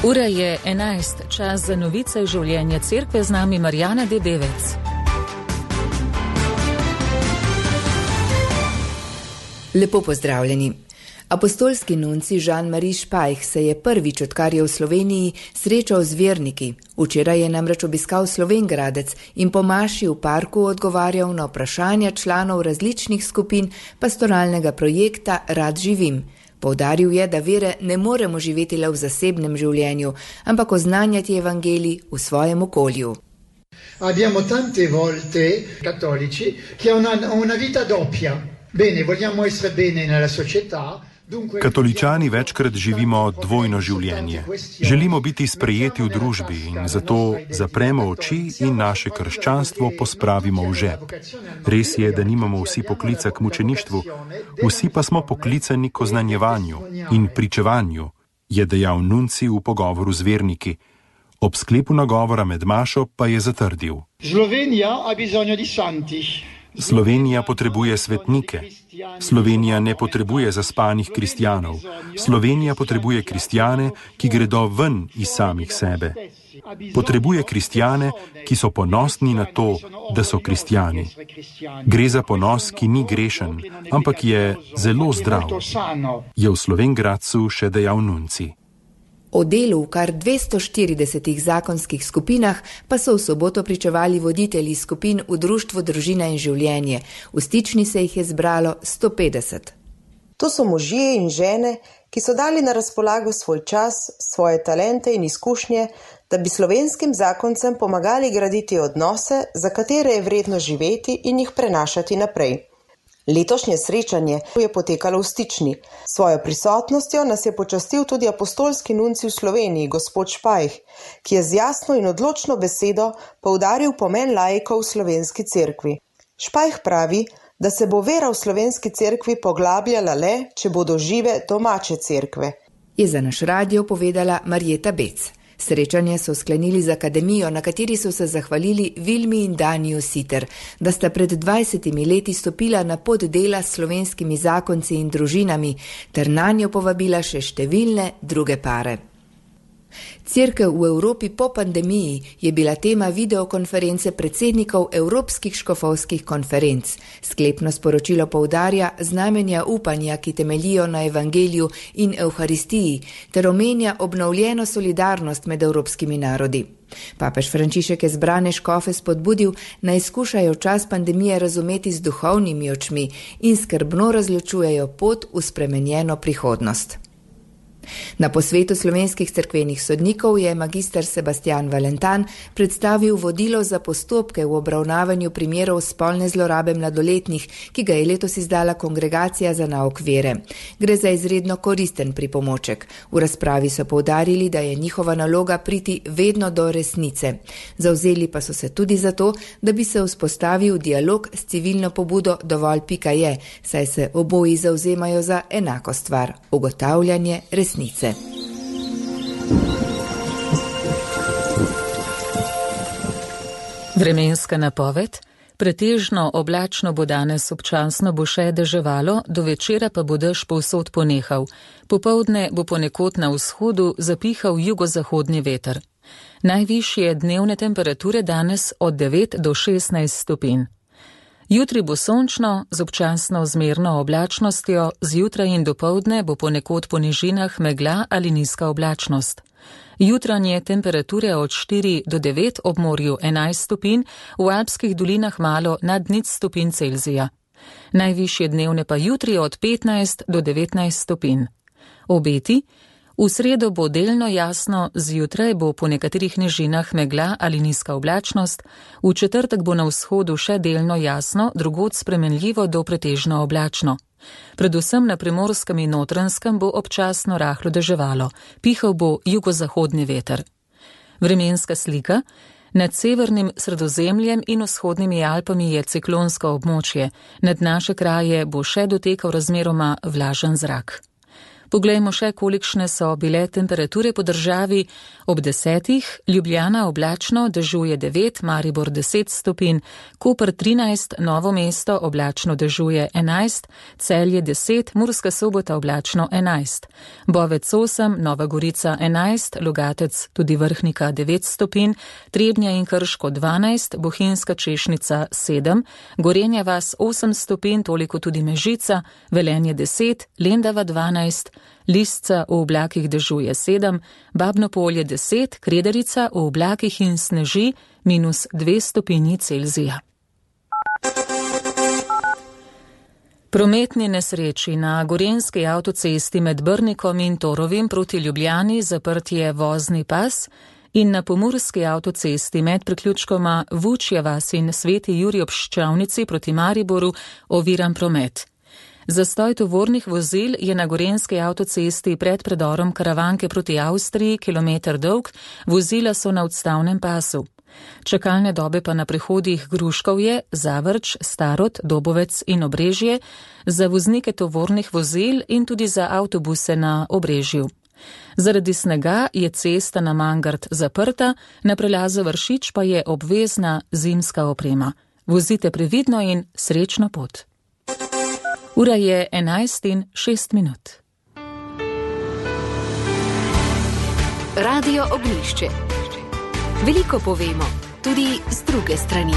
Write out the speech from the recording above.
Ura je 11, čas za novice življenja cerkve, z nami Marjana Debevec. Lepo pozdravljeni. Apostolski nunci Jean-Marie Spajch se je prvič, odkar je v Sloveniji, srečal z verniki. Včeraj je namreč obiskal Slovenj Gradec in po maši v parku odgovarjal na vprašanja članov različnih skupin pastoralnega projekta Rad živim. Poudaril je, da vere ne moremo živeti le v zasebnem življenju, ampak oznanjati evangelij v svojem okolju. Abbiamo tante volte cattolici che hanno una vita doppia. Bene, vogliamo essere bene nella società. Katoličani večkrat živimo dvojno življenje. Želimo biti sprejeti v družbi in zato zapremo oči in naše krščanstvo pospravimo v žep. Res je, da nimamo vsi poklica k mučeništvu, vsi pa smo poklicani k oznanjevanju in pričevanju, je dejal nunci v pogovoru z verniki. Ob sklepu nagovora med mašo pa je zatrdil: Slovenija potrebuje svetnike. Slovenija ne potrebuje zaspanih kristjanov. Slovenija potrebuje kristjane, ki gredo ven iz samih sebe. Potrebuje kristjane, ki so ponosni na to, da so kristjani. Gre za ponos, ki ni grešen, ampak je zelo zdrav, je v Slovenj Gradcu še dejal nunci. O delu v kar 240 zakonskih skupinah pa so v soboto pričevali voditelji skupin v Društvu Družina in življenje. V Stični se jih je zbralo 150. To so možje in žene, ki so dali na razpolago svoj čas, svoje talente in izkušnje, da bi slovenskim zakoncem pomagali graditi odnose, za katere je vredno živeti in jih prenašati naprej. Letošnje srečanje je potekalo v Stični. Svojo prisotnostjo nas je počastil tudi apostolski nunci v Sloveniji, gospod Spajch, ki je z jasno in odločno besedo poudaril pomen laikov v slovenski cerkvi. Spajch pravi, da se bo vera v slovenski cerkvi poglabljala le, če bodo žive domače cerkve. Je za naš radio povedala Marjeta Bec. Srečanje so sklenili z akademijo, na kateri so se zahvalili Vilmi in Daniju Siter, da sta pred 20 leti stopila na pot dela s slovenskimi zakonci in družinami, ter nanjo povabila še številne druge pare. Cerkev v Evropi po pandemiji je bila tema videokonference predsednikov Evropskih škofovskih konferenc. Sklepno sporočilo poudarja znamenja upanja, ki temeljijo na evangeliju in evharistiji, ter omenja obnovljeno solidarnost med evropskimi narodi. Papež Frančišek je zbrane škofe spodbudil, naj skušajo čas pandemije razumeti z duhovnimi očmi in skrbno razločujejo pot v spremenjeno prihodnost. Na posvetu slovenskih cerkvenih sodnikov je magister Sebastian Valentan predstavil vodilo za postopke v obravnavanju primerov spolne zlorabe mladoletnih, ki ga je letos izdala Kongregacija za nauk vere. Gre za izredno koristen pripomoček. V razpravi so poudarili, da je njihova naloga priti vedno do resnice. Zavzeli pa so se tudi za to, da bi se vzpostavil dialog s civilno pobudo dovolj.je, saj se oboji zavzemajo za enako stvar, ugotavljanje resnice. Vremenska napoved. Pretežno oblačno bo danes, občasno bo še deževalo, do večera pa bo dež povsod ponehal. Popoldne bo ponekod na vzhodu zapihal jugozahodni veter. Najvišje dnevne temperature danes od 9 do 16 stopinj. Jutri bo sončno, z občasno zmerno oblačnostjo, zjutraj in dopoldne bo ponekod po nižinah megla ali nizka oblačnost. Jutranje temperature od 4 do 9, ob morju 11 stopinj, v alpskih dolinah malo nad 0 stopinj Celzija. Najvišje dnevne pa jutri od 15 do 19 stopinj. Obeti. V sredo bo delno jasno, zjutraj bo po nekaterih nižinah megla ali nizka oblačnost, v četrtek bo na vzhodu še delno jasno, drugod spremenljivo do pretežno oblačno. Predvsem na Primorskem in Notranjskem bo občasno rahlo deževalo, pihal bo jugozahodni veter. Vremenska slika. Nad severnim Sredozemljem in vzhodnimi Alpami je ciklonsko območje, nad naše kraje bo še dotekal razmeroma vlažen zrak. Poglejmo še, kolikšne so bile temperature po državi. Ob 10. Ljubljana oblačno, dežuje 9, Maribor 10 stopinj, Koper 13, Novo mesto oblačno, dežuje 11, Celje 10, Murska Sobota oblačno 11, Bovec 8, Nova Gorica 11, Logatec tudi Vrhnika 9 stopinj, Trebnja in Krško 12, Bohinjska Češnica 7, Gorenja vas 8 stopinj, toliko tudi Mežica, Velenje 10, Lendava 12, Lisca v oblakih dežuje 7, Babno Polje 10, Krederica v oblakih in sneži -2 stopinji Celzija. Prometni nesreči na gorenjski avtocesti med Brnikom in Torovim proti Ljubljani zaprt je vozni pas in na pomurski avtocesti med priključkoma Vučja vas in Sveti Jurij ob Ščavnici proti Mariboru oviran promet. Zastoj tovornih vozil je na gorenjski avtocesti pred predorom Karavanke proti Avstriji, kilometer dolg, vozila so na odstavnem pasu. Čakalne dobe pa na prehodih Gruškovje, Zavrč, Starod, Dobovec in Obrežje, za voznike tovornih vozil in tudi za avtobuse na Obrežju. Zaradi snega je cesta na Mangart zaprta, na prelazu Vršič pa je obvezna zimska oprema. Vozite previdno in srečno pot. Ura je 11:06. Radio Ognjišče. Veliko povemo, tudi z druge strani.